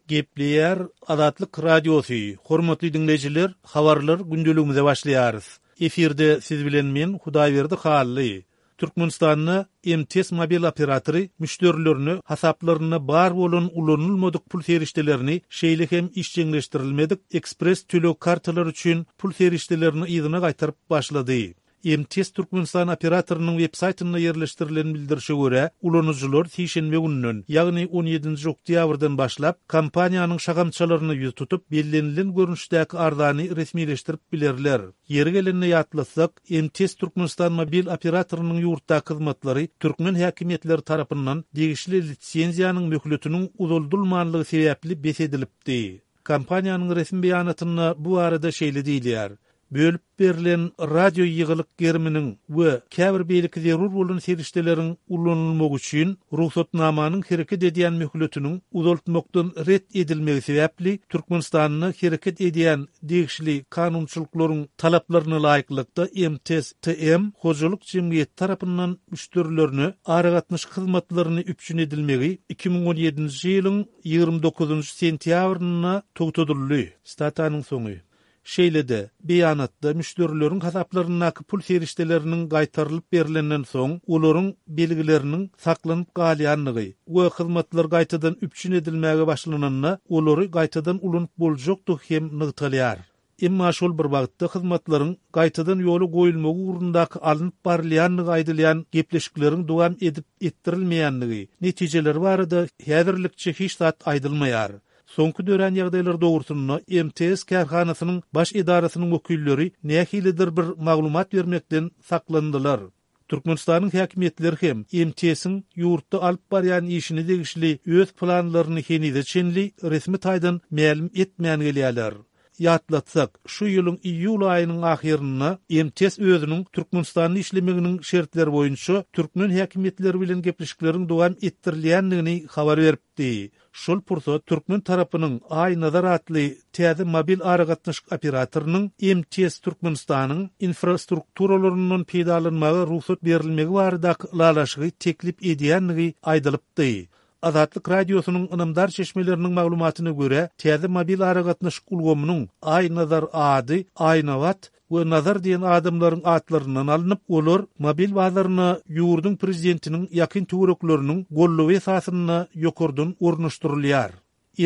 Gepleýär Azatlyk Radiosy, Hormatly diňleýjiler, habarlar gündeligimize başlaýarys. Efirde siz bilen men Hudaýberdi Hally. Türkmenistanda MTS mobil operatory müşderilerine hasaplarynda bar bolan ulanylmadyk pul serişdelerini, şeýle hem işjeňleşdirilmedik ekspress töleg kartalary üçin pul serişdelerini yzyna gaýtaryp başlady. MTS Türkmenistan operatorynyň web-saýtynda ýerleşdirilen bildirişe görä, ulanyjylar sişenbe gününden, ýagny on ýedinji oktýabrdan başlap, kompaniýanyň şahamçalaryna ýüz tutup, bellenilen görnüşdäki arzany resmileşdirip bilerler. Ýeri gelende ýatlatsak, MTS Türkmenistan mobil operatorynyň ýurtdaky hyzmatlary türkmen häkimiýetleri tarapyndan degişli lisenziýanyň möhletiniň uzaldylmanlygy sebäpli bes edilipdi. Kompaniýanyň resmi beýanatynda bu barada şeýle diýilýär, Bölüp berlen radio ýygylyk geriminiň we käbir beýleki zerur bolan serişdeleriň ulanylmagy üçin rugsatnamanyň hereket edýän möhletiniň uzaltmakdan ret edilmegi sebäpli Türkmenistanda hereket edýän degişli kanunçylyklaryň talaplaryna laýyklykda MTS TM hojalyk jemgyýeti tarapyndan müşderilerine aragatnaşyk hyzmatlaryny üpjün edilmegi 2017-nji ýylyň 29-njy sentýabrynda togtadyldy. Statanyň soňy. Şeýle-de, beýanatda müşderileriň hasaplaryndaky pul serişdeleriniň gaýtarylyp berlenden soň, olaryň belgileriniň saklanyp galýandygy we hyzmatlar gaýtadan üpjün edilmäge başlananda olary gaýtadan ulanyp boljakdygy hem nygtalýar. Emma şol bir wagtda hyzmatlaryň gaýtadan ýola goýulmagy ugrundaky alnyp barylýandygy aýdylýan gepleşikleriň dowam edip-etdirilmeýändigi, netijeleri barada häzirlikçe hiç zat aýdylmaýar. Soňky dörän ýagdaýlar dogrusynda MTS kärhanasynyň baş edarasynyň wekilleri nähilidir bir maglumat bermekden saklandylar. Türkmenistanyň häkimiýetleri hem MTS-iň ýurtda alyp barýan işine degişli öz planlaryny henize çenli resmi taýdan mälim etmän gelýärler. Ýatlatsak, şu ýylyň iýul aýynyň ahyrynda MTS özüniň Türkmenistanda işlemeginiň şertleri boýunça türkmen häkimiýetleri bilen gepleşikleriň dowam etdirilýändigini habar beripdi. Şol pursat türkmen tarapynyň Aý Nazar atly täze mobil aragatnaşyk operatorynyň MTS Türkmenistanyň infrastrukturalaryndan peýdalanmaga rugsat berilmegi baradaky ylalaşygy teklip edýändigi aýdylypdy. Azatlyk Radiosynyň ynamdar çeşmeleriniň maglumatyna görä, täze mobil aragatnaşyk ulgamynyň Aý Nazar ady Aýnabat we Nazar diýen adamlaryň atlaryndan alnyp, olar mobil bazaryna ýurduň prezidentiniň ýakyn töwerekleriniň goldawy esasynda ýokardan ornaşdyrylýar.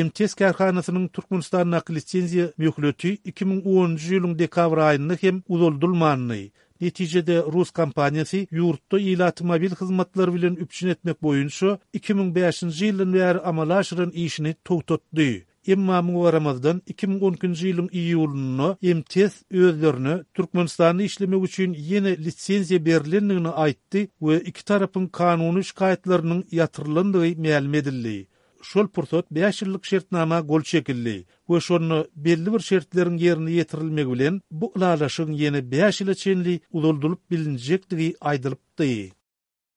MTS kärhanasynyň Türkmenistandaky lisenziýa möhleti 2010-njy ýylyň dekabr aýynda hem uzaldylmandy. Netijede, rus kompaniýasy ýurtda ilaty mobil hyzmatlar bilen üpjün etmek boýunça 2005-nji ýyldan bäri amala aşyran işini togtatdy. Emma muňa garamazdan, 2012-nji ýylyň iýulynda MTS özlerine Türkmenistanda işlemek üçin ýene lisenziýa berlendigini aýtdy we iki tarapyň kanuny şikaýatlarynyň ýatyrylandygy mälim edildi. Şol pursat bäş ýyllyk şertnama gol çekildi we şonda belli bir şertleriň ýerine ýetirilmegi bilen bu ylalaşygyň ýene bäş ýyla çenli uzaldylyp bilinjekdigi aýdylypdy.